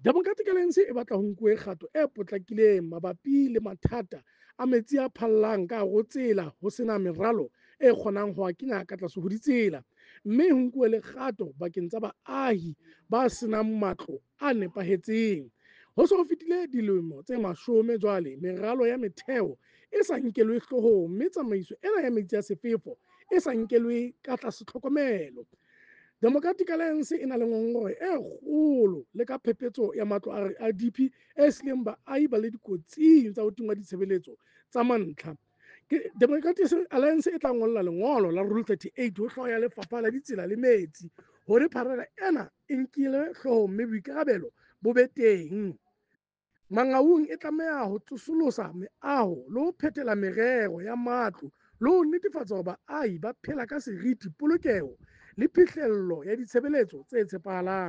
Democratic Alliance e batla ho nkuwe kgato e potlakileng mabapi le mathata a metsi a phallang ka hare ho tsela ho sena meralo e kgonang ho a kenya ka tlase ho ditsela, mme ho nkuwe le kgato bakeng tsa baahi ba senang matlo a nepahetseng. Ho se ho fetile dilemo tse mashome jwale meralo ya metheo e sa nkelwe hloohong, mme tsamaiso ena ya metsi a sefefo e sa nkelwe ka tlase tlhokomelo. Democratic Alliance e na le ngongoreho e kgolo le ka phephetso ya matlo a RDP e sileng baahi ba le dikotsing tsa ho tingwa ditshebeletso tsa mantlha. Ke Democratic Alliance e tla ngolla lengolo la Rule 38 ho hlooho ya Lefapha la Ditsela le Metsi hore pharela ena e nkilwe hloohong mme boikarabelo bo be teng. Mangaung e tlameha ho tsosolosa meaho le ho phethela merero ya matlo le ho netefatsa hore baahi ba phela ka seriti, polokeho le phihlello ya ditshebeletso tse tshepahalang.